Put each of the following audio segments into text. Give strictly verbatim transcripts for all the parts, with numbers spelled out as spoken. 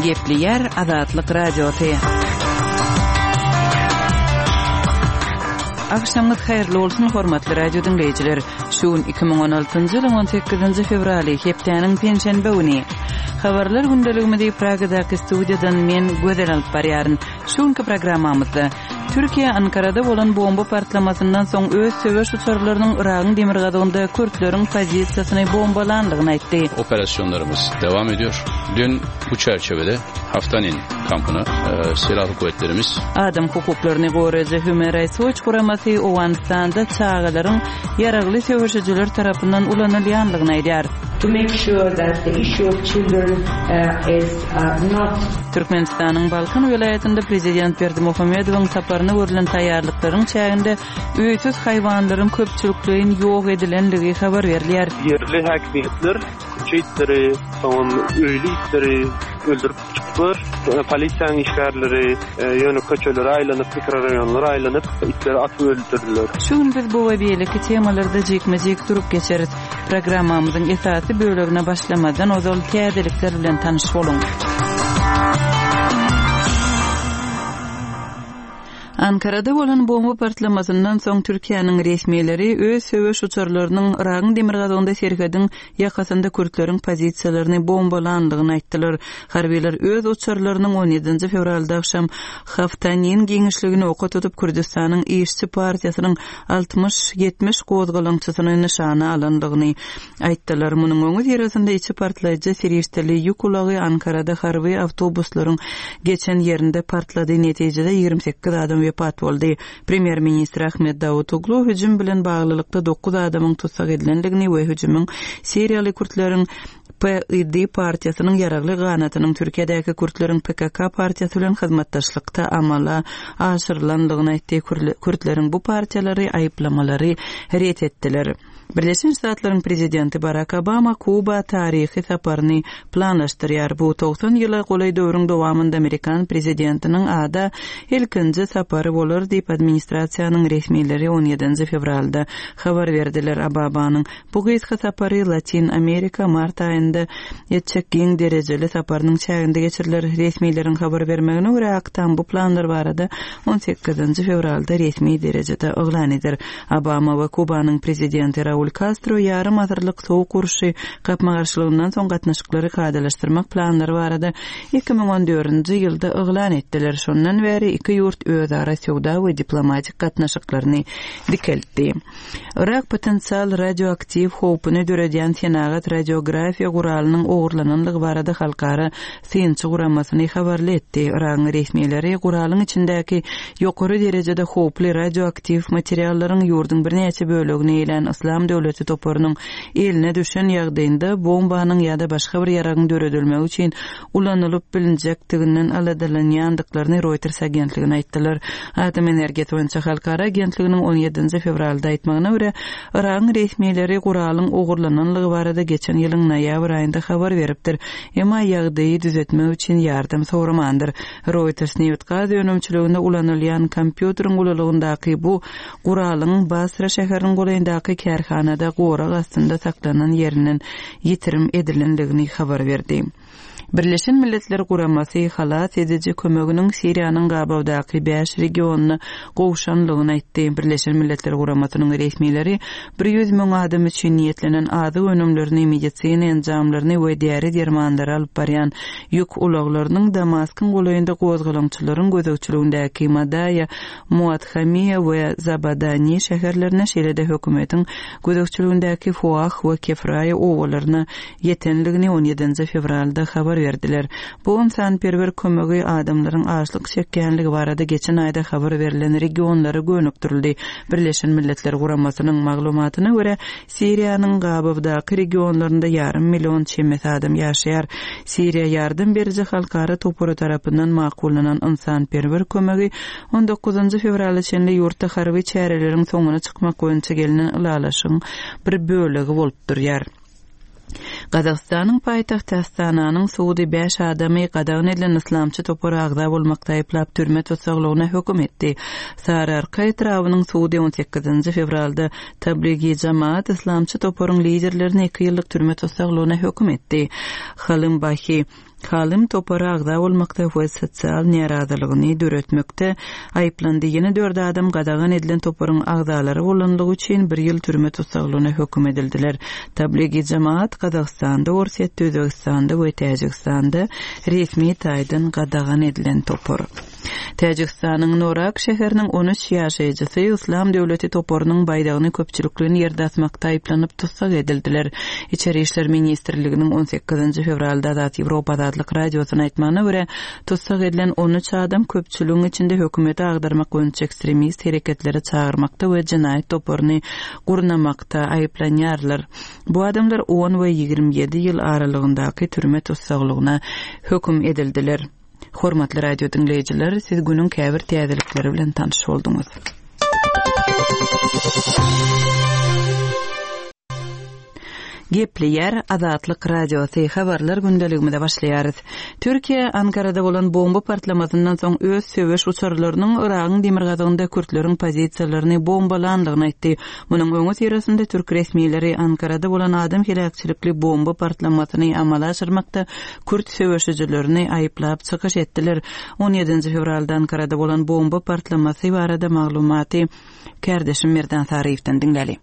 Gepleýär Azatlyk Radiosy. Agşamyňyz haýyrly bolsun, hormatly radio diňleýjiler. Şu gün iki müň on altynjy ýylyň on sekizinji fewraly, hepdäniň penşenbe güni. Habarlar gündeligimizi Pragadaky studiýadan men Gözel alyp barýaryn. Şu günki programmamyzda Türkiýe Ankarada bolan bomba partlamasyndan soň öz söweş uçarlarynyň Yragyň demirgazygynda kürtleriň pozisiýasyny bombalandygyny aýtdy. Operasyonlarymyz dewam ediyor. Dün bu çerçevede Haftanin kampyna, e, silahlı kuvvetlerimiz Adam hukuklaryny goraýjy Human Rights Watch guramasy Owganystanda çagalaryň ýaragly söweşijiler tarapyndan ulanylýandygyny aýdýar. To make sure that the issue of children, uh, is, uh, not Türkmenistanyň Balkan welaýatynda prezident Berdimuhamedowyň saparyna görlen taýýarlyklaryň çäginde öýsüz haýwanlaryň köpçülikleýin ýok edilendigi habar berilýär. Ýerli häkimiýetler köçe itleri, soňam öýli itleri öldürip çykyplar. Polisiýanyň işgärleri, e, ýöne köçelere aýlanyp, mikrorayonlara aýlanyp itleri atyp öldürdüler. Şu gün biz bu we beýleki temalarda jikme-jik durup geçeris. Programmamyzyň esasy bölegine başlamadan ozal täzelikler bilen tanyş boluň. Ankarada bolan bomba partlamasyndan soň Türkiýäniň resmileri öz söweş uçarlarynyň Yragyň demirgazygynda serhediň ýakasynda kürtleriň pozisiýalaryny bombalandygyny aýtdylar. Harbiler öz uçarlarynyň on ýedinji fewralda agşam Haftanin giňişligini oka tutup Kürdistanyň işçi partiýasynyň altmyş ýetmiş gozgalaňçysyny nyşana alandygyny aýtdylar. Munuň öňi syrasynda içi partlaýjy serişdeli ýük ulagy Ankarada harby awtobuslaryň geçen ýerinde partlady. Netijede ýigrimi sekiz adam wepat boldy. Premýer-ministr Ahmet Davutoglu hüjüm bilen baglylykda dokuz adamyň tussag edilendigini we hüjümiň Siriýaly kürtleriň P I D partiýasynyň ýaragly ganatynyň Türkiýedäki kürtleriň P K K partiýasy bilen hyzmatdaşlykda amala aşyrylandygyny aýtdy. Kürtleriň bu partiýalary aýyplamalary ret etdiler. Birleşen Ştatlaryň prezidenti Barack Obama Kuba taryhy saparyny planlaşdyrýar. Bu togsan ýyla golaý döwrüň dowamynda Amerikan prezidentiniň ada ilkinji sapary bolar diýip administrasiýanyň resmileri on ýedinji fewralda habar berdiler. Obamanyň bu gysga sapary Latin Amerika mart aýynda etjek giň derejeli saparynyň çäginde geçiriler. Resmileriň habar bermegine görä Ak Tam bu planlar barada on sekizinji fewralda resmi derejede yglan eder. Obama we Kubanyň prezidenti Raul Castro ýarym asyrlyk sowuk urşy gapma-garşylygyndan soň gatnaşyklary kadalaşdyrmak planlary barada iki müň on dördünji ýylda yglan etdiler. Şondan bäri iki ýurt özara söwda we diplomatik gatnaşyklaryny dikeltdi. Irak potensial radioaktiw howpuny döredýän senagat radiografiýa guralynyň ogurlananlygy barada halkara synçy guramasyny habarly etdi. Iragyň resmileri guralyň içindäki ýokary derejede howply radioaktiw materiallaryň ýurduň birnäçe bölegini eýlän Islam döwleti toparynyň eline düşen ýagdaýynda bombanyň ýa-da başga bir ýaragyň döredilmegi üçin ulanylyp bilinjekdiginden aladalanýandyklaryny Reuters agentligine aýtdylar. Atom energiýasy boýunça halkara agentliginiň on ýedinji fewralda aýtmagyna görä, Iragyň resmileri guralyň ogurlananlygy barada geçen ýylyň noýabr aýynda habar beripdir. Emma ýagdaýy düzetmek üçin ýardam soramandyr. Reuters nebit-gaz önümçiliginde ulanylýan kompýuteriň ululygyndaky bu guralyň Basra şäheriniň golaýyndaky kärhanada gorag astynda saklanan ýerinden ýitirim edilendigini habar berdi. Birleşen Milletler Guramasy halas ediji kömeginiň Siriýanyň gabawdaky bäş regionyna gowşanlygyny aýtdy. Birleşen Milletler Guramasynyň resmileri bir ýüz müň adam üçin niýetlenen azyk önümlerini, medisina enjamlaryny we däri dermanlary alyp barýan ýük ulaglarynyň Damaskyň golaýynda gozgalaňçylaryň gözegçiligindäki Madaýa, Muadhamiýa we Zabadani şäherlerine, şeýle-de hökümetiň gözegçiligindäki Fuah we Kefraýa obalaryna ýetenligini on ýedinji fewralda habar berdiler. Bu ynsanperwer kömegi adamlaryň açlyk çekýänligi barada geçen aýda habar berlen regionlara gönükdirildi. Birleşen Milletler Guramasynyň maglumatyna görä, Siriýanyň gabawdaky regionlarynda ýarym million çemesi adam ýaşaýar. Siriýa ýardam beriji halkara topary tarapyndan makullanan ynsanperwer kömegi on dokuzynjy fewrala çenli ýurtda harby çäreleriň soňuna çykmak boýunça gelinen ylalaşygyň bir bölegi bolup durýar. Gazagystanyň paýtagty Astananyň sudy bäş adamy gadagan edilen islamçy topara agza bolmakda aýyplap türme tussaglygyna höküm etdi. Sararka etrabynyň sudy on sekizinji fewralda Tabligi Jamaat islamçy toparyň liderlerini iki ýyllyk türme tussaglygyna höküm etdi. Halym Bahi Halym topara agza bolmakda we sosial närazylygyny döretmekde aýyplandy. Ýene dört adam gadagan edilen toparyň agzalary bolanlygy üçin bir ýyl türme tussaglygyna höküm edildiler. Tabligi Jamaat Gazagystanda, Orsýetde, Özbegistanda we Täjigistanda resmi taýdan gadagan edilen topar. Täjigistanyň Norak şäheriniň on üç ýaşaýjysy Islam döwleti toparynyň baýdagyny köpçülikleýin ýerde asmakda aýyplanyp tussag edildiler. Içeri işler ministrliginiň on sekizinji fewralda Azat Ýewropa Azatlyk Radiosyna aýtmagyna görä, tussag edilen on üç adam köpçüligiň içinde hökümeti agdarmak boýunça ekstremist hereketleri çagyrmakda we jenaýat toparyny gurnamakda aýyplanýarlar. Bu adamlar on we ýigrimi ýedi ýyl aralygyndaky türme tussaglygyna höküm edildiler. Hormatly radio dinleýjiler, siz günüň käbir täzelikleri bilen tanyş bolduňyz. Gepleýär Azatlyk Radiosy habarlar gündeligimize başlaýarys. Türkiýe Ankarada bolan bomba partlamasyndan soň öz söweş uçarlarynyň Yragyň demirgazygynda kürtleriň pozisiýalaryny bombalandygyny aýtdy. Munuň öňi syrasynda türk resmileri Ankarada bolan adam heläkçilikli bomba partlamasyny amala aşyrmakda kürt söweşijilerini aýyplap çykyş etdiler. on ýedinji fewralda Ankarada bolan bomba partlamasy barada maglumaty kärdeşim Merdan Saryýewden diňläli.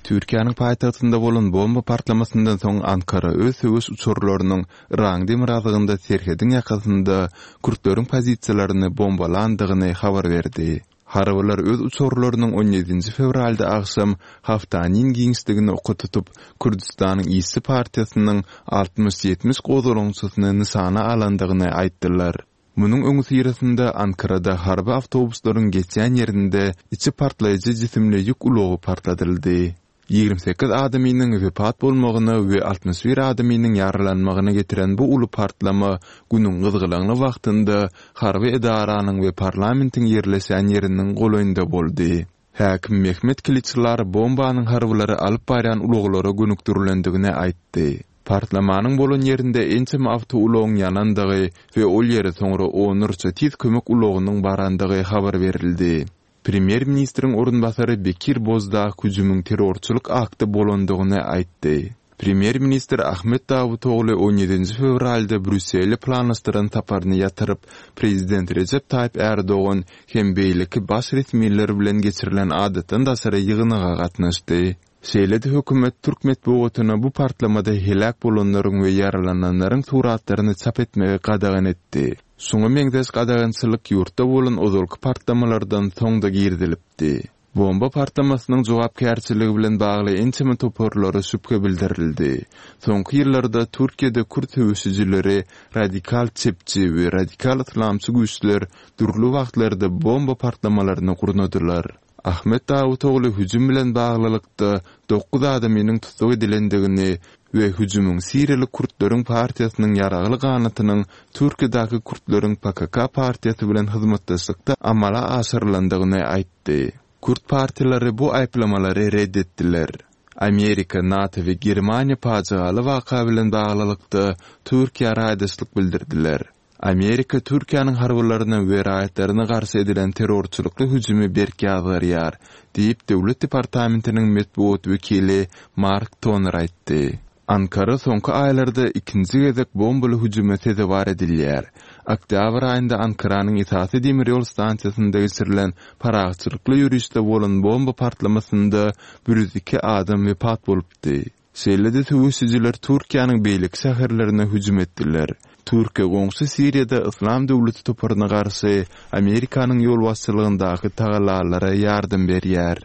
Türkiýäniň paýtagtynda bolan bomba partlamasyndan soň Ankara öz söweş uçarlarynyň Yragyň demirgazygynda serhediň ýakasynda kürtleriň pozisiýalaryny bombalandygyny habar berdi. Harbylar öz uçarlarynyň on ýedinji fewralda agşam Haftanin giňişligini oka tutup, Kürdistanyň Işçi partiýasynyň altmyş ýetmiş gozgalaňçysyny nyşana alandygyny aýtdylar. Munuň öňi syrasynda Ankarada harby awtobuslaryň geçýän ýerinde içi partlaýjy jisimli ýük ulagy partladyldy. Ýigrimi sekiz adamynyň wepat bolmagyna we altmyş bir adamynyň ýaralanmagyna getiren bu uly partlama günüň gyzgalaňly wagtynda harby edaranyň we parlamentiň ýerleşen ýeriniň golaýynda boldy. Häkim Mehmet Kiliçlar bombanyň harbylary alyp barýan ulaglara gönükdirilendigini aýtdy. Partlamanyň bolan ýerinde ençeme awtoulagyň ýanandygy we ol ýere soňra onlarça tiz kömek ulagynyň barandygy habar berildi. Premýer-ministriň orunbasary Bekir Bozdag hüjümiň terrorçylyk akty bolandygyny aýtdy. Premýer-ministr Ahmet Davutoğlu on ýedinji fewralda Brýussele planlaşdyran saparyny ýatyryp, Prezident Recep Tayyip Erdogan hem beýleki baş resmiler bilen geçirilen adatdan daşary ýygnaga gatnaşdy. Şeýle-de hökümet türk metbugatyna bu partlamada heläk bolanlaryň we ýaralananlaryň suratlaryny çap etmegi gadagan etdi. Şoňa meňzeş gadagançylyk ýurtda bolan ozalky partlamalardan soň-da girizilipdi. Bomba partlamasynyň jogapkärçiligi bilen bagly ençeme toparlara şübhe bildirildi. Soňky ýyllarda Türkiýede kürt söweşijileri, radikal çepçi we radikal islamçy güýçler dürli wagtlarda bomba partlamalaryny gurnadylar. Ahmet Davutoğlu hüjüm bilen baglylykda dokuz adamynyň tussag edilendigini we hüjümiň Siriýaly kürtleriň partiýasynyň ýaragly ganatynyň Türkiýedäki kürtleriň P K K partiýasy bilen hyzmatdaşlykda amala aşyrylandygyny aýtdy. Kürt partiýalary bu aýyplamalary red etdiler. Amerika, NATO we Germaniýa pajygaly waka bilen baglylykda Türkiýä raýdaşlyk bildirdiler. Amerika Türkiýäniň harbylaryna we raýatlaryna garşy edilen terrorçylykly hüjümi berk ýazgarýar, diýip Döwlet departamentiniň metbugat wekili Mark Toner aýtdy. Ankara soňky aýlarda ikinji gezek bombaly hüjüme sezewar edilýär. Oktýabr aýynda Ankaranyň esasy demir ýol stansiýasynda geçirilen parahatçylykly ýörişde bolan bomba partlamasynda bir ýüz iki adam wepat bolupdy. Şeýle-de söweşijiler Türkiýäniň beýleki şäherlerine hüjüm etdiler. Türkiýe goňşy Siriýada Islam döwleti toparyna garşy Amerikanyň ýolbaşçylygyndaky tagallalara ýardam berýär.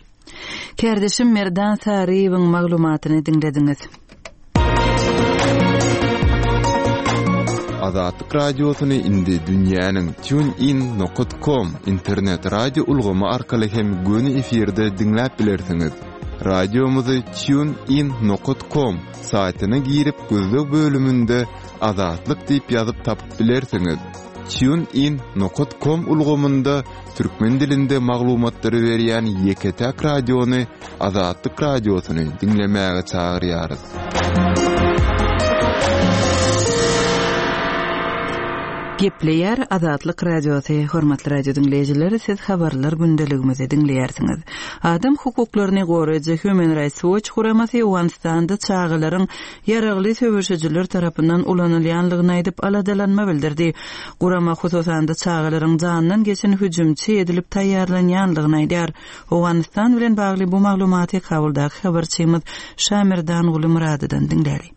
Kärdeşim Merdan Saryýewiň maglumatyny diňlediňiz. Azatlyk Radiosyny indi dünýäniň TuneIn nokta com internet radio ulgamy arkaly hem göni efirde diňläp bilersiňiz. Radiomyzy TuneIn nokta com saýtyna girip gözleg bölüminde Azatlyk diýip ýazyp tapyp bilersiňiz. TuneIn nokta com ulgamynda türkmen dilinde maglumatlary berýän ýeke-täk radiony Azatlyk Radiosyny diňlemäge çagyrýarys. Gepleýär Azatlyk Radiosy, hormatly radio diňleýjiler, siz habarlar gündeligimizi diňleýärsiňiz. Adam hukuklaryny goraýjy Human Rights Watch guramasy Owganystanda çagalaryň ýaragly söweşijiler tarapyndan ulanylýanlygyny aýdyp aladalanma bildirdi. Gurama hususan-da çagalaryň jandan geçen hüjümçi edilip taýýarlanýanlygyny aýdýar. Owganystan bilen bagly bu maglumaty Kabuldaky habarçymyz Şamirdan Gulumyradydan diňläli.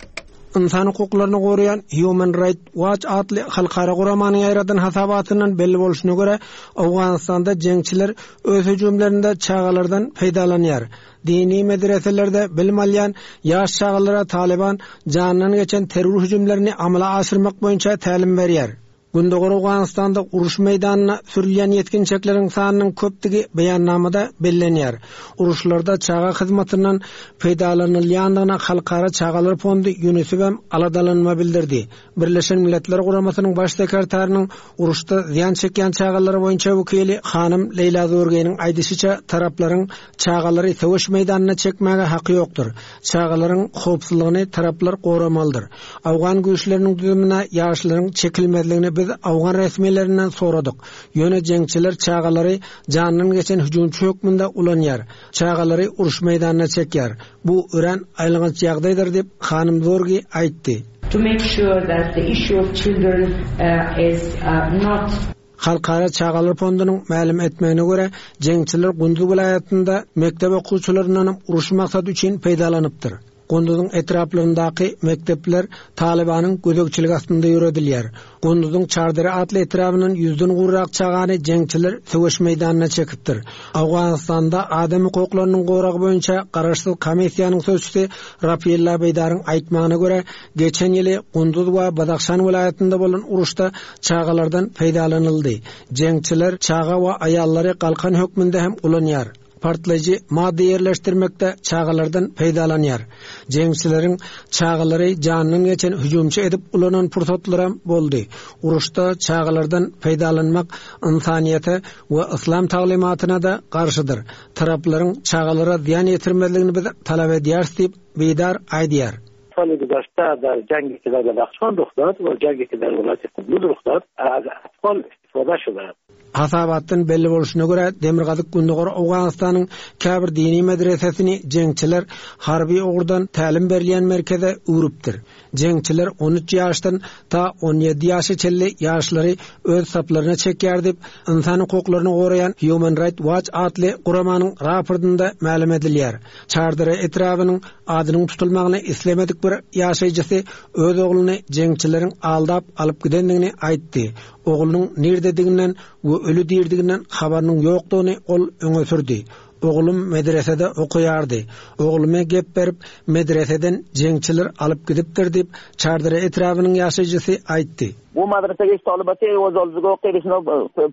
Ynsan hukuklaryny goraýan Human Rights Watch atly halkara guramanyň ýaýradan hasabatyndan belli bolşuna görä, Owganystanda jeňçiler öz hüjümlerinde çagalardan peýdalanýar. Dini medreselerde bilim alýan ýaş çagalara Taliban jandan geçen terror hüjümlerini amala aşyrmak boýunça tälim berýär. Gündogar Owganystanda uruş meýdanyna sürülýän ýetginçekleriň sanynyň köpdügi beýannamada bellenýär. Uruşlarda çaga hyzmatyndan peýdalanylýandygyna Halkara Çagalar Fondy UNICEF hem aladalanma bildirdi. Birleşen Milletler Guramasynyň baş sekretarynyň uruşda zyýan çekýän çagalar boýunça wekili hanym Leýla Zurgeniň aýdyşyça taraplaryň çagalary söweş meýdanyna çekmäge haky ýokdur. Çagalaryň howpsuzlygyny taraplar goramalydyr. Awgan güýçleriniň düzümine ýaşlaryň çekilmezligini biz Awgan resmilerinden soradyk. Ýöne jeňçiler çagalary jandan geçen hüjümçi hökmünde ulanýar. Çagalary uruş meýdanyna çekýär. Bu örän aýylganç ýagdaýdyr diýip hanym Zorgi aýtdy. To make sure that the issue of children uh, is uh, not Halkara Çagalar Fondunyň mälim etmegine görä, jeňçiler Gunduz welaýatynda mekdep okuwçylaryndan uruş maksady üçin peýdalanypdyr. Gunduzyň etraplaryndaky mekdepler Talibanyň gözegçiligi astynda ýöredilýär. Gunduzyň Çardere atly etrabyndan ýüzden gowrak çagany jeňçiler söweş meýdanyna çekipdir. Awganystanda adam hukuklarynyň goragy boýunça garaşsyz komissiýanyň sözçüsi Rafiella Beýdaryň aýtmagyna görä, geçen ýyly Gunduz we Badahşan welaýatynda bolan uruşda çagalardan peýdalanyldy. Jeňçiler çaga we aýallary galkan hökmünde hem ulanýar. Partlaýjy madda ýerleşdirmekde çagalardan peýdalanýar. Jeňçileriň çagalary jandan geçen hüjümçi edip ulanan pursatlaram boldy. Uruşda çagalardan peýdalanmak insaniýete we yslam taglymatyna da garşydyr. Taraplaryň çagalara zyýan ýetirmezligini biz talap edýäris diýip Beýdar aýdýar. سال گذشته در جنگی که در بدخشان رخ داد و جنگی که در ولایت قندوز رخ داد از اطفال استفاده شده. Hasabatdan belli bolşuna görä Demirgazyk Gündogar Owganystanyň käbir dini medresesini jeňçiler harby ugurdan tälim berilýän merkeze öwrüpdir. Jeňçiler on üç ýaşdan ta on ýedi ýaşa çenli ýaşlary öz saplaryna çekýär diýip, ynsan hukuklaryny goraýan Human Rights Watch atly guramanyň raportynda mälim edilýär. Çardara etrabynyň adynyň tutulmagyny islemedik bir ýaşaýjysy öz ogluny jeňçileriň aldap alyp gidendigini aýtdy. Oglunyň nirdediginen we ölü dirdiginden habarynyň ýokdugyny ol öňe sürdi. Oglum medresede okuýardy. Oglumy gep berip medreseden jeňçiler alyp gidipdir diýip Çardara etrabynyň ýaşaýjysy aýtdy. Bu madrasaga ish tolibati o'z oldiga o'qiydi,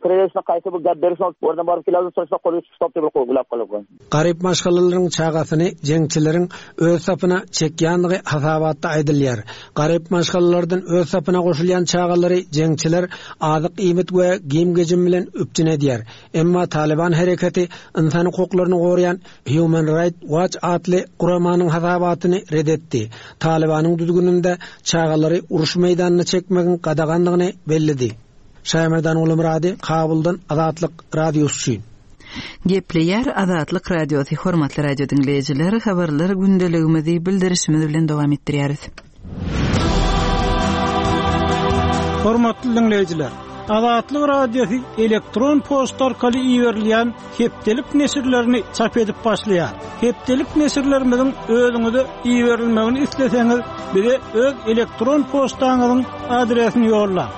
prelesini qaysi bu gap berishni o'rnidan borib keladi, so'rasa qo'lga tushib deb qo'yib qolib. Garip maşgalalaryň çagasyny jeňçileriň öz sapyna çekýänligi hasabatda aýdylýar. Garip maşgalalardan öz sapyna goşulýan çagalary jeňçiler azyk iýmit we giyim-gejim bilen üpjün edýär. Emma Taliban hereketi ynsan hukuklaryny goraýan Human Rights Watch atly guramanyň hasabatyny red etdi. Talibanyň düzgüninde çagalary uruş meýdanyna çekmegiň gadaganlygyny belledi. Şaýmerdan Ulumrady, Kabuldan Azatlyk Radiosy. Gepleýär Azatlyk Radiosy, hormatly radio diňleýjiler, habarlar gündeligimizi bildirişimiz bilen dowam etdirýäris. Hormatly diňleýjiler, Azatlyk Radiosy elektron poçta arkaly iberilýän hepdelik neşirlerini çap edip başlaýar. Hepdelik neşirlerimiziň özüňize iberilmegini isleseňiz, bize öz elektron poçtaňyzyň adresini ýollaň.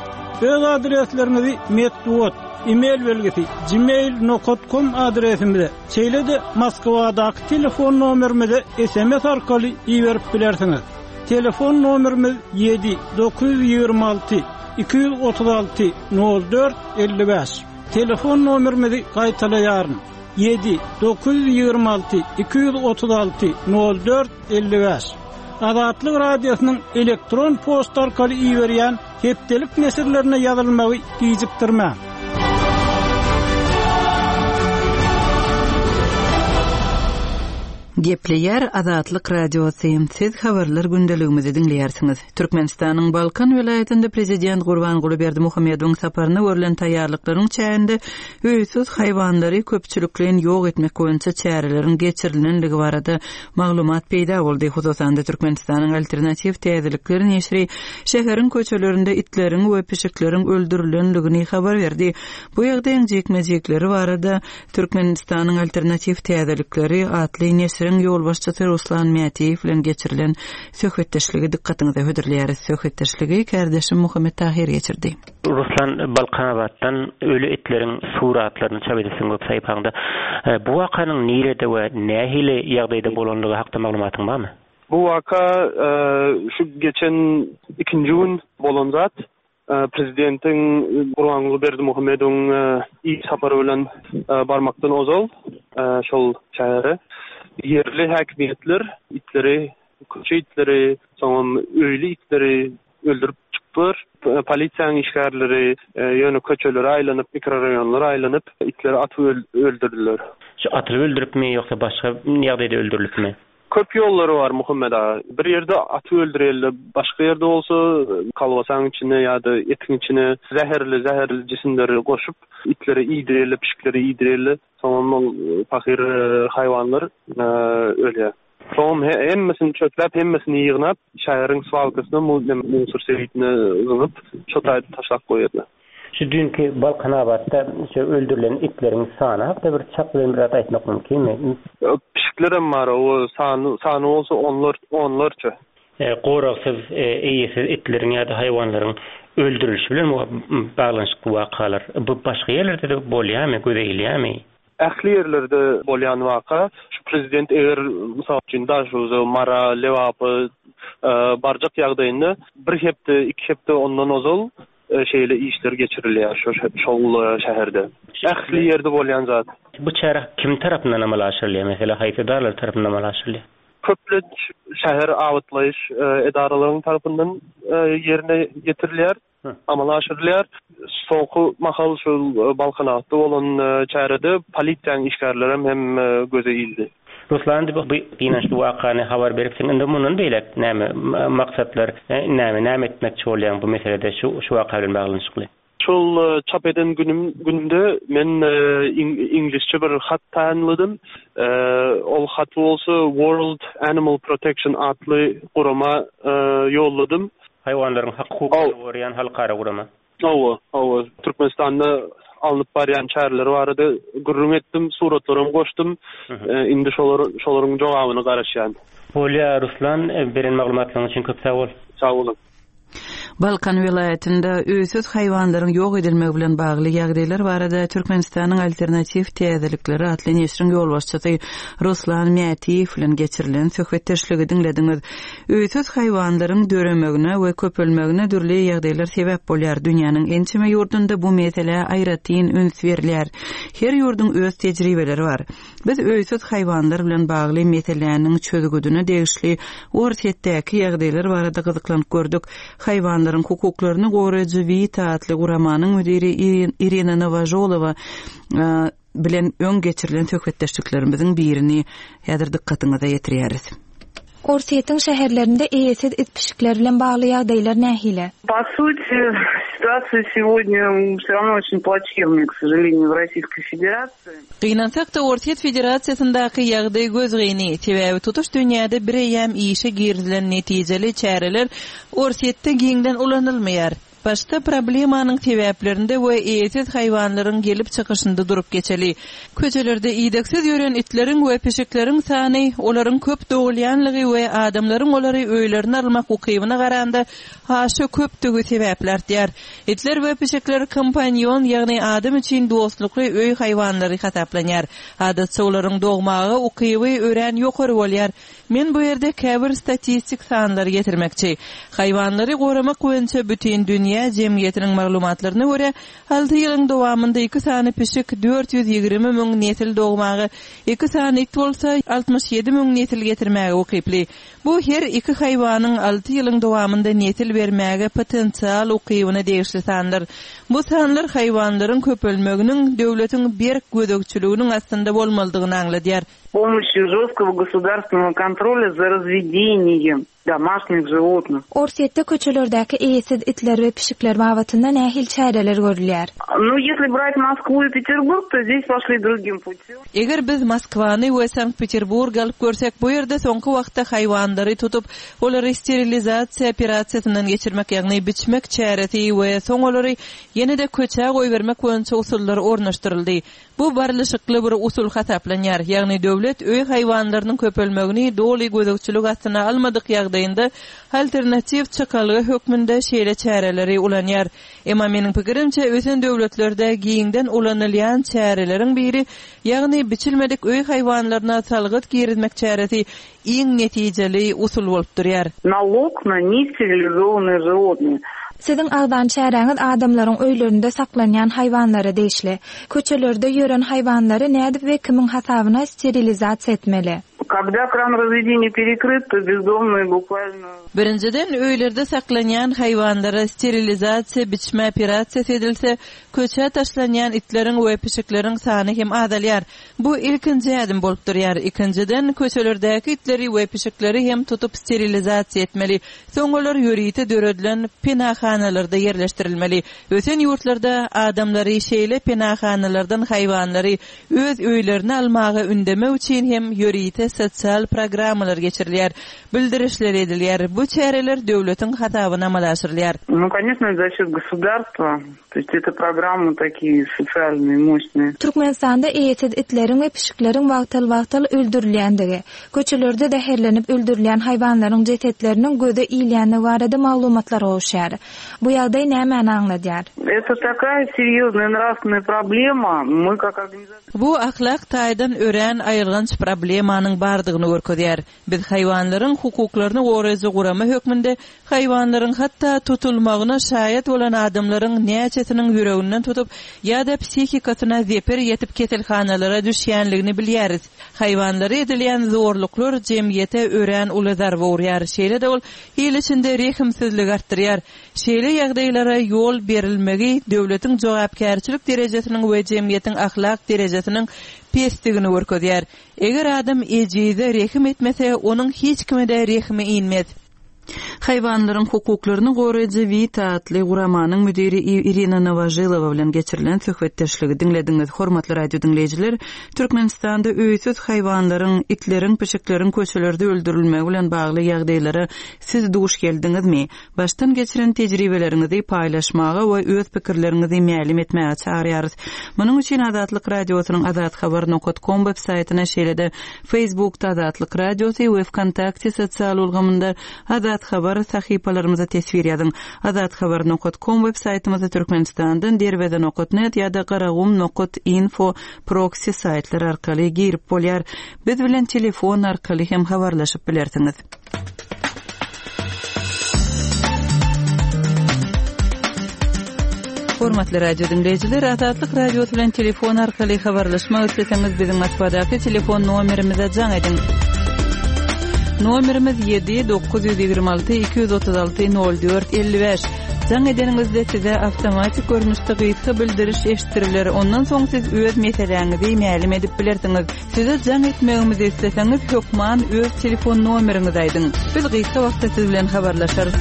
Öz adresleriňizi metbugat, e-mail belgisi gmail nokta com adresimize, şeýle-de Moskwadaky telefon nomerimize S M S arkaly iberip bilersiňiz. Telefon nomerimiz ýedi dokuz ýüz ýigrimi alty iki ýüz otuz alty nol dört elli bäş. Telefon nomerimizi gaýtalaýaryn. Ýedi dokuz ýüz ýigrimi alty iki ýüz otuz alty nol dört elli bäş. Azatlyk Radiosynyň elektron poçta arkaly iberýän hepdelik neşirlerine ýazylmagy gijikdirmäň. Gepleýär Azatlyk Radiosy, Siz habarlar gündeligimizi diňleýärsiňiz. Türkmenistanyň Balkan welaýatynda prezident Gurbanguly Berdimuhamedowyň saparyna görlen taýýarlyklaryň çäginde öýsüz haýwanlary köpçülikleýin ýok etmek boýunça çäreleriň geçirilendigi barada maglumat peýda boldy. Hususan-da, Türkmenistanyň Alternatiw täzelikleri neşiri şäheriň köçelerinde itleriň we pişikleriň öldürilendigini habar berdi. Bu ýagdaýyň jikme-jikleri barada Türkmenistanyň Alternatiw täzelikleri atly neşiriň ýolbaşçysy Ruslan Mätiýew bilen geçirilen söhbetdeşligi dykgatyňyza hödürleýäris. Söhbetdeşligi kärdeşim Muhammet Tahyr geçirdi. Ruslan, Balkanabatdan öli itleriň suratlaryny çap edipsiň web sahypaňda. Bu wakanyň nirede we nähili ýagdaýda bolanlygy hakda maglumatyň barmy? Bu waka şu geçen ikinji gün bolan zat. Prezidentiň Gurbanguly Berdimuhamedowyň iş sapary bilen barmakdan ozal şol şähere ýerli häkimiýetler itleri, köçe itleri, soňam öýli itleri öldürip çykdylar. Polisiýanyň işgärleri ýöne köçelere aýlanyp, mikroraýonlara aýlanyp itleri atyp öldürdiler. Şu atylyp öldüripmi ýogsa başga ýagdaýda öldürilipmi? Köp ýollary bar Muhammet aga. Bir ýerde atyp öldürýärler, başga ýerde bolsa kolbasaň içine ýa-da etiň içine zäherli zäherli jisimleri goşup itlere iýdirýärler, pişiklere iýdirýärler. Soňam ol pahyr haýwanlar ölýär. Soňam hemmesini çöpläp, hemmesini ýygnap, şäheriň swalkasyna, musor sebitine zyňyp, şo taýda taşlap goýýarlar. Şu düýnki Balkanabatda şu öldürilen itleriň sany hakda bir çak bilen biraz aýtmak mümkinmi? Pişiklerem bar, o sany, sany bolsa onlar, onlarça. Goragsyz, eýesiz itleriň ýa-da haýwanlaryň öldürilişi bilen baglanyşykly wakalar bu başga ýerlerde-de bolýarmy, göze ilýärmi? Ähli ýerlerde bolýan waka. Şu prezident eger, mysal üçin, Daşoguza, Mara, Lebaba barjak ýagdaýynda bir hepde, iki hepde ondan ozal şeýle işler geçirilýär şo şol şäherde. Ähli ýerde bolýan zat. Bu çäre kim tarapyndan amala aşyrylýar? Meselem, haýsy edaralar tarapyndan amala aşyrylýar? Köplenç şäher abatlaýyş edaralaryň tarapyndan ýerine ýetirilýär, amala aşyrylýar. Soňky mahal şol Balkanabatda bolan çärede polisiýanyň işgärlerem hem göze ildi. Ruslan, indi bu gynançly wakany habar beripsiň. Indi mundan beýläk näme maksatlar, näme näme etmekçi bolýaň bu meselede şu şu waka bilen baglanyşykly? Şol çap eden günüm günümde men iňlisçe bir hat taýynladym. Ol haty bolsa World Animal Protection atly gurama ýolladym. Haýwanlaryň hak-hukuklaryny goraýan halkara gurama. Hawa, hawa. Türkmenistanda alnyp barýan çäreler barada gürrüň etdim, suratlaram goşdum. Indi şolar şolaryň jogabyna garaşýan. Bolýa Ruslan, beren maglumatlaryň üçin köp sag bol. Sag boluň. Balkan welaýatynda öýsüz haýwanlaryň ýok edilmegi bilen bagly ýagdaýlar barada Türkmenistanyň Alternatiw täzelikleri atly neşiriň ýolbaşçysy Ruslan Mätiýew bilen geçirilen söhbetdeşligi diňlediňiz. Öýsüz haýwanlaryň döremegine we köpelmegine dürli ýagdaýlar sebäp bolýar. Dünýäniň ençeme ýurdunda bu meselä aýratyn üns berilýär. Her ýurduň öz tejribeleri bar. Biz öýsüz haýwanlar bilen bagly meseläniň çözgüdine degişli Orsýetdäki ýagdaýlar barada gyzyklanyp gördük. Haýwanlaryň hukuklaryny goraýjy Wita atly guramanyň müdiri Irina Nowožolowa bilen öň geçirilen söhbetdeşliklerimiziň birini häzir dykgatyňyza ýetirýäris. Orsýetiň şäherlerinde eýesiz it-pişikler bilen bagly ýagdaýlar nähili? По сути, ситуация сегодня все равно очень плачевная, к сожалению, в Российской Федерации. Gynansak-da, Orsýet Federasiýasyndaky ýagdaý gözgyny, sebäbi tutuş dünýäde bireýýäm işe girizilen netijeli çäreler Orsýetde giňden ulanylmaýar. Başda problemanyň sebäplerinde we eýesiz haýwanlaryň gelip çykyşynda durup geçeli. Köçelerde idegsiz ýören itleriň we pişikleriň sany, olaryň köp dogulýanlygy we adamlaryň olary öýlerine almak ukybyna garanda aşa köpdügi sebäpli artýar. Itler we pişikler kompanýon, ýagny adam üçin dostlukly öý haýwanlary hasaplanýar. Adatça olaryň dogmaga ukyby örän ýokary bolýar. Men bu ýerde käbir statistik sanlary getirmekçi. Haýwanlary goramak boýunça Bütindünýä jemgyýetiniň maglumatlaryna görä, alty ýylyň dowamynda iki sany pişik dört ýüz ýigrimi müň nesil dogmaga, iki sany it bolsa altmyş ýedi müň nesil getirmäge ukyply. Bu her iki haýwanyň alty ýylyň dowamynda nesil bermäge potensial ukybyna degişli sanlar. Bu sanlar haýwanlaryň köpelmeginiň döwletiň berk gözegçiliginiň astynda bolmalydygyny aňladýar. помощью жесткого государственного контроля за разведением домашних животных. Orsýetde köçelerdäki eýesiz itler we pişikler babatynda nähili çäreler görülýär? Ну, если брать Москву и Петербург, то здесь пошли другим путем. Eger biz Moskwany we Sankt-Peterburgy alyp görsek, bu ýerde soňky wagtda haýwanlary tutup, olary sterilizasiýa operasiýasyndan geçirmek, ýagny biçmek çäresi we soň olary ýene-de köçä goýbermek boýunça usullar ornaşdyryldy. Bu barlyşykly bir usul hasaplanýar, ýagny döwlet öý haýwanlarynyň köpelmegini doly gözegçilik astyna almadyk ýagdaýynda alternatiw çykalga hökmünde şeýle çäreleri ulanýar. Emma meniň pikirimçe ösen döwletlerde giňden ulanylýan çäreleriň biri, ýagny biçilmedik öý haýwanlaryna salgyt girizmek çäresi iň netijeli usul bolup durýar. Налог на нестерилизованные животные. Siziň agzan çäräňiz adamlaryň öýlerinde saklanýan haýwanlara degişli. Köçelerde ýören haýwanlary nädip we kimiň hasabyna sterilizasiýa etmeli? Когда кран разведения перекрыт, то бездомные буквально... Birinjiden öýlerde saklanýan haýwanlara sterilizasiýa biçme operasiýasy edilse, köçä taşlanýan itleriň we pişikleriň sany hem azalýar. Bu ilkinji ädim bolup durýar. Ikinjiden köçelerdäki itleri we pişikleri hem tutup sterilizasiýa etmeli. Soň olar ýörite döredilen penahanalarda ýerleşdirilmeli. Ösen ýurtlarda adamlary şeýle penahanalardan haýwanlary öz öýlerine almaga ündemek üçin hem ýörite sosial programmalar geçirilýär, bildirişler edilýär. Bu çäreler döwletiň hasabyna amala aşyrylýar. Ну, конечно, за счет государства. То есть это программы такие социальные, мощные. Türkmenistanda eýesiz itleriň we pişikleriň wagtal-wagtal öldürilýändigi, köçelerde zäherlenip öldürilýän haýwanlaryň jesetleriniň göze ilýändigi barada maglumatlar gowuşýar. Bu ýagdaý nämäni aňladýar? Это такая серьезная нравственная проблема. Мы как организация... Bu ahlak taýdan örän aýylganç problemanyň bardygyny görkezýär. Biz haýwanlaryň hukuklaryny goraýjy gurama hökmünde haýwanlaryň hatda tutulmagyna şaýat bolan adamlaryň näçesiniň ýüreginden tutup ýa-da psihikasyna zeper ýetip keselhanalara düşýänligini bilýäris. Haýwanlara edilýän zorluklar jemgyýete örän uly zarba urýar. Şeýle-de ol il içinde rehimsizlik artdyrýar. Şeýle ýagdaýlara ýol berilmegi döwletiň jogapkärçilik derejesiniň we jemgyýetiň ahlak derejesiniň pesdigini görkezýär. Eger adam ejize rehim etmese, onuň hiç kime-de rehimi inmez. Haýwanlaryň hukuklaryny goraýjy Vita atly guramanyň müdiri Irina Nowažilowa bilen geçirilen söhbetdeşligi diňlediňiz. Hormatly radio diňleýjiler, Türkmenistanda öýsüz haýwanlaryň, itleriň, pişikleriň köçelerde öldürilmegi bilen bagly ýagdaýlara siz duş geldiňizmi? Başdan geçiren tejribeleriňizi paýlaşmaga we öz pikirleriňizi mälim etmäge çagyrýarys. Munuň üçin Azatlyk radiosynyň azathabar nokta com web saýtyna, şeýle-de Facebookda Azatlyk radiosy we VKontakte sosial ulgamynda Azat Habar sahypalarymyza teswir ýazyň. Azathabar nokta com web saýtymyzda Türkmenistandan derweze nokta net ýa-da garagum nokta info proxy saýtlar arkaly girip bolýar. Biz bilen telefon arkaly hem habarlaşyp bilersiňiz. Hormatly radio diňleýjiler, Azatlyk radiosy bilen telefon arkaly habarlaşmak isleseňiz biziň Moskwadaky telefon nomerimize jaň ediň. Nomerimiz ýedi dokuz ýüz ýigrimi alty iki ýüz otuz alty nol dört elli bäş. Jaň edeniňizde size awtomatik görnüşde gysga bildiriş eşitdiriler. Ondan soň siz öz meseläňizi mälim edip bilersiňiz. Size jaň etmegimizi isleseňiz hökman öz telefon nomeriňizi aýdyň. Biz gysga wagtda siz bilen habarlaşarys.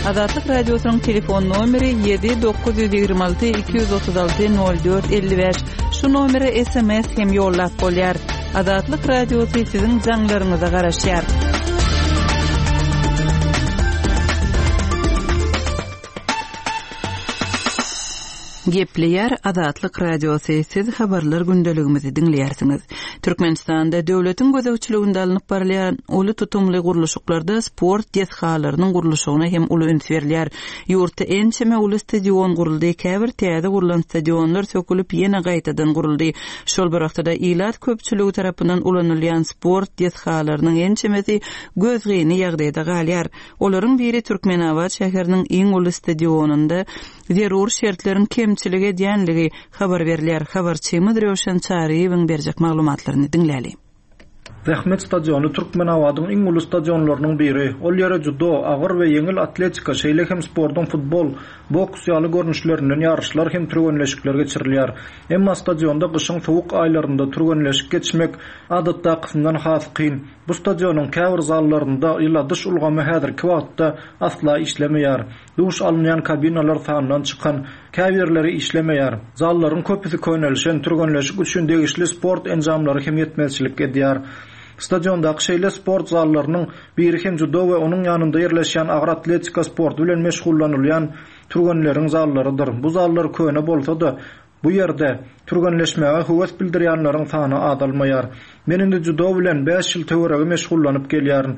Azatlyk radiosynyň telefon nomeri ýedi dokuz ýüz ýigrimi alty iki ýüz otuz alty nol dört elli bäş. Şu nomere S M S hem ýollap bolýar. Azatlyk radiosy siziň jaňlaryňyza garaşýar. Gepleýär Azatlyk radiosy, siz habarlar gündeligimizi diňleýärsiňiz. Türkmenistanda döwletiň gözegçiliginde alnyp barylýan uly tutumly gurluşyklarda sport desgalarynyň gurluşygyna hem uly üns berilýär. Ýurtda ençeme uly stadion guruldy, käbir täze gurlan stadionlar sökülip ýene gaýtadan guruldy. Şol bir wagtda ilat köpçüligi tarapyndan ulanylýan sport desgalarynyň ençemesi gözgyny ýagdaýda galýar. Olaryň biri Türkmenabat şäheriniň iň uly stadionynda zerur şertleriň kemçilik edýänligi habar berilýär. Habarçymyz Röwşen Çaryýewiň berjek maglumatlaryny diňläli. Zähmet stadiony Türkmenabadyň iň uly stadionlarynyň biri. Ol ýere dzýudo, agyr we ýeňil atletika, şeýle hem sportuň futbol, boks ýaly görnüşlerinden ýaryşlar hem türgenleşikler geçirilýär. Emma stadionda gyşyň sowuk aýlarynda türgenleşik geçmek adatdakysyndan has kyn. Bu stadionyň käbir zallarynda ýyladyş ulgamy häzirki wagtda asla işlemeýär. Duş alynýan kabinalar sandan çykan, käbirleri işlemeýär. Zallaryň köpüsi könelişen, türgenleşik üçin degişli sport enjamlary hem ýetmezçilik edýär. Stadiondaky şeýle sport zallarynyň biri hem dzýudo we onuň ýanynda ýerleşýän agyr atletika sporty bilen meşgullanylýan türgenleriň zallarydyr. Bu zallar köne bolsa-da, bu ýerde türgenleşmäge höwes bildirýänleriň sany azalmaýar. Men indi dzýudo bilen bäş ýyl töweregi meşgullanyp gelýärin.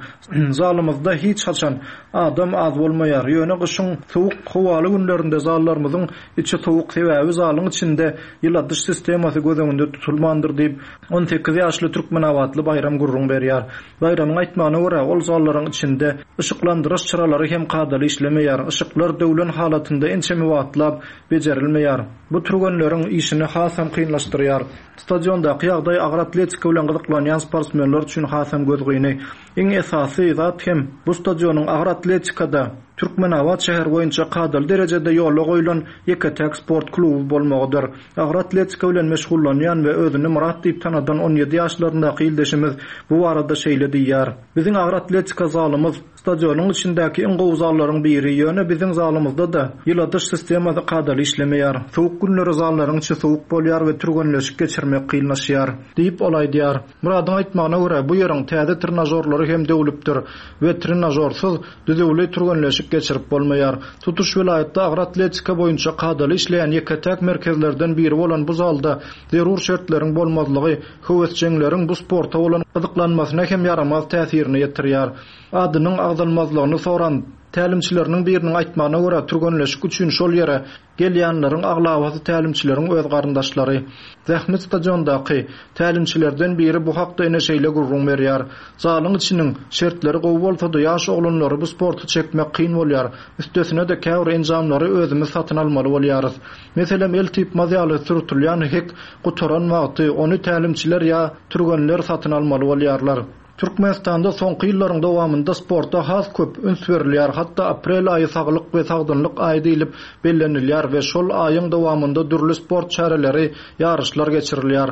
Zalymyzda hiç haçan adam az bolmaýar. Ýöne gyşyň sowuk howaly günlerinde zallarymyzyň içi sowuk, sebäbi zalyň içinde ýyladyş sistemasy göz öňünde tutulmandyr diýip, on sekiz ýaşly türkmenabatly Baýram gürrüň berýär. Baýramyň aýtmagyna görä, ol zallaryň içinde yşyklandyryş çyralary hem kadaly işlemeýär. Yşyklar döwlen halatynda ençeme wagtlap bejerilmeýär. Bu türgenleriň işini hasam kynlaşdyrýar. Stadiondaky ýagdaý agyr atletika bilen gyzyklanýan sportsmenler üçin hasam gözgyny. Iň esasy zat hem bu stadionyň agyr atletikada Türkmenabat şäheri boýunça kadaly derejede ýola goýlan ýeke-täk sport kluby bolmagydyr. Agyr atletika bilen meşgullanýan we özüni Murat diýip tanadan on ýedi ýaşlaryndaky ildeşimiz bu barada şeýle diýýär. Biziň agyr atletika zalymyz stadionyň içindäki iň gowy zallaryň biri, ýöne biziň zalymyzda-da ýyladyş sistemasy kadaly işlemeýär. Sowuk günleri zallaryň içi sowuk bolýar we türgenleşik geçirmek kynlaşýar, diýip ol aýdýar. Muradyň aýtmagyna görä, bu ýeriň täze trenažorlary hem döwlüpdir we trenažorsyz düzüwli türgenleşik geçirip bolmaýar. Tutuş welaýatda agyr atletika boýunça kadaly işleýän ýeke-täk merkezlerden biri bolan bu zalda zerur şertleriň bolmazlygy höwesjeňleriň bu sporta bolan gyzyklanmasyna hem ýaramaz täsirini ýetirýär. Adynyň agzalmazlygyny soran tälimçileriniň biriniň aýtmagyna görä, türgenleşik üçin şol ýere gelýänleriň aglabasy tälimçileriň öz garyndaşlary. Zähmet stadiondaky tälimçilerden biri bu hakda ene şeýle gürrüň berýär. Zalyň içiniň şertleri gowy bolsa-da, ýaş oglanlary bu sporty çekmek kyn bolýar. Üstesine-de käbir enjamlary özümiz satyn almaly bolýarys. Meselem, el typmaz ýaly sürtülýän hek gutaran wagty ony tälimçiler ýa türgenler satyn almaly bolýarlar. Türkmenistanda soňky ýyllaryň dowamynda sporta has köp üns berilýär. Hatda aprel aýy saglyk we sagdynlyk aýy diýlip bellenilýär we şol aýyň dowamynda dürli sport çäreleri, ýaryşlar geçirilýär.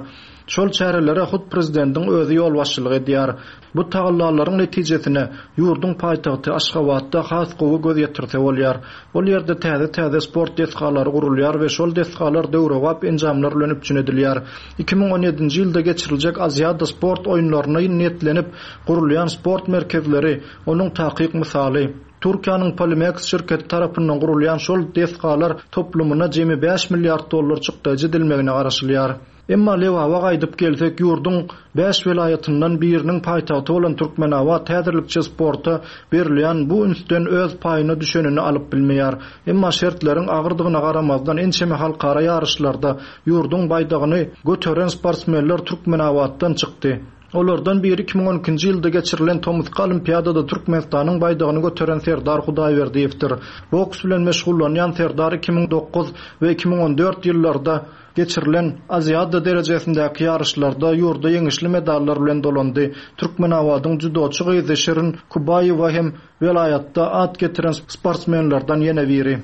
Şol çärelere hut prezidentiň özi ýolbaşçylyk edýär. Bu tagallalaryň netijesine ýurduň paýtagty Aşgabatda has gowy göz ýetirse bolýar. Ol ýerde täze-täze sport desgalary gurulýar we şol desgalar döwrebap enjamlar bilen üpjün edilýär. iki müň on ýedinji ýylda geçiriljek Aziada sport oýunlaryna niýetlenip gurulýan sport merkezleri onuň takyk mysaly. Türkiýäniň Polimex şirketi tarapyndan gurulýan şol desgalar toplumyna jemi bäş milliard dollar çykdajy edilmegine garaşylýar. Emma Lebaba gaýdyp gelsek, ýurduň bäş welaýatyndan biriniň paýtagty bolan Türkmenabat häzirlikçe sporta berilýän bu ünsden öz paýyna düşenini alyp bilmeýär. Emma şertleriň agyrdygyna garamazdan ençeme halkara ýaryşlarda ýurduň baýdagyny göteren sportsmenler Türkmenabatdan çykdy. Olardan biri iki müň on ikinji ýylda geçirilen Tomusky Olimpiadada Türkmenistanyň baýdagyny göteren Serdar Hudaýberdiýewdir. Boks bilen meşgullanýan Serdar iki müň dokuz we iki müň on dört ýyllarda geçirilen Aziada derejesindäki ýaryşlarda ýurda ýeňişli medallar bilen dolandy. Türkmenabadyň dzýudoçy gyzy Şirin Kubaýewa hem welaýatda at getiren sportsmenlerden ýene biri.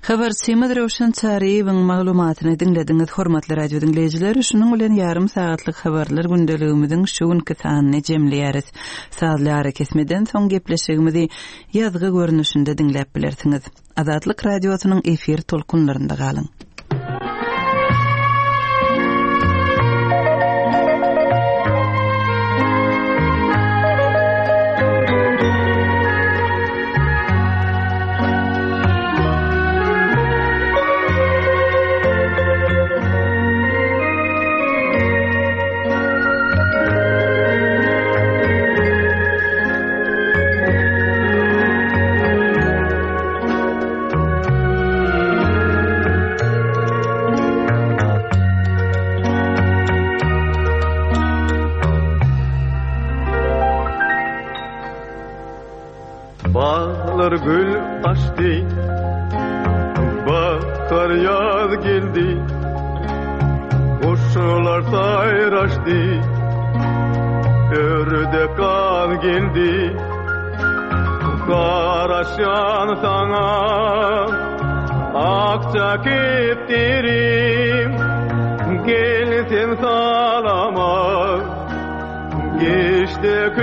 Habarçymyz Röwşen Çaryýewiň maglumatyny diňlediňiz, hormatly radio diňleýjiler. Şunuň bilen ýarym sagatlyk habarlar gündeligimiziň şu günki sanyny jemleýäris. Sazly ara kesmeden soň gepleşigimizi ýazgy görnüşinde diňläp bilersiňiz. Azatlyk radiosynyň efir tolkunlarynda galyň. Bağlar gül açtı, bahar yaz geldi, kuşlar sayraştı, Ördek gaz geldi. Garaşýan saňa Akja kepderim. Gel sen salama. Geçde